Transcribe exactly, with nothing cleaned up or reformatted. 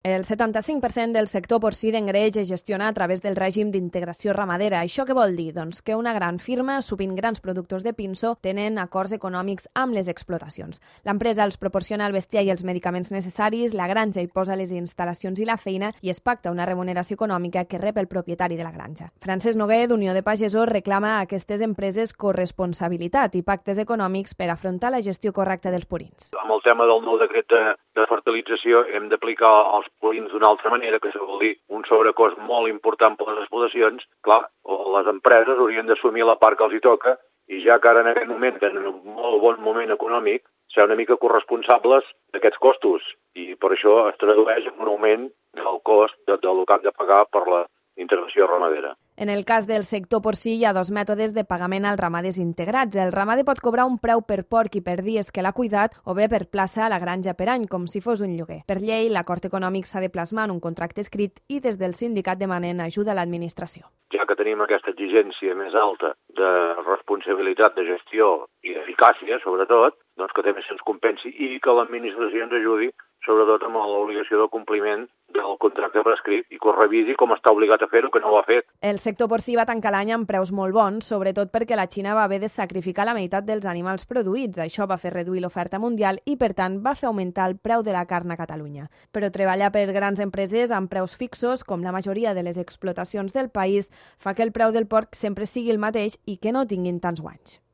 El setanta-cinc per cent del sector porcí d'engreix es gestiona a través del règim d'integració ramadera. Això què vol dir? Doncs que una gran firma, sovint grans productors de pinso, tenen acords econòmics amb les explotacions. L'empresa els proporciona el bestiar i els medicaments necessaris, la granja hi posa les instal·lacions i la feina i es pacta una remuneració econòmica que rep el propietari de la granja. Francesc Noguer, d'Unió de Pagesos, reclama a aquestes empreses corresponsabilitat i pactes econòmics per afrontar la gestió correcta dels purins. Amb el tema del nou decret de, de fertilització hem d'aplicar els purins d'una altra manera, que això vol dir un sobrecost molt important per les explotacions. Clar, les empreses haurien d'assumir la part que els hi toca i ja que ara en aquest moment tenen un molt bon moment econòmic, ser una mica corresponsables d'aquests costos i per això es tradueix en un augment del cost de, del que han de pagar per la integració ramadera. En el cas del sector porcí hi ha dos mètodes de pagament als ramaders integrats. El ramader pot cobrar un preu per porc i per dies que l'ha cuidat o bé per plaça a la granja per any, com si fos un lloguer. Per llei, l'acord econòmic s'ha de plasmar en un contracte escrit i des del sindicat demanen ajuda a l'administració. Ja que tenim aquesta exigència més alta de responsabilitat de gestió i d'eficàcia, sobretot, doncs que també se'ns compensi i que l'administració ens ajudi, sobretot amb l'obligació del compliment del contracte prescrit i que ho revisi com està obligat a fer-ho, que no ho ha fet. El sector porcí va tancar l'any amb preus molt bons, sobretot perquè la Xina va haver de sacrificar la meitat dels animals produïts. Això va fer reduir l'oferta mundial i, per tant, va fer augmentar el preu de la carn a Catalunya. Però treballar per grans empreses amb preus fixos, com la majoria de les explotacions del país, fa que el preu del porc sempre sigui el mateix i que no tinguin tants guanys.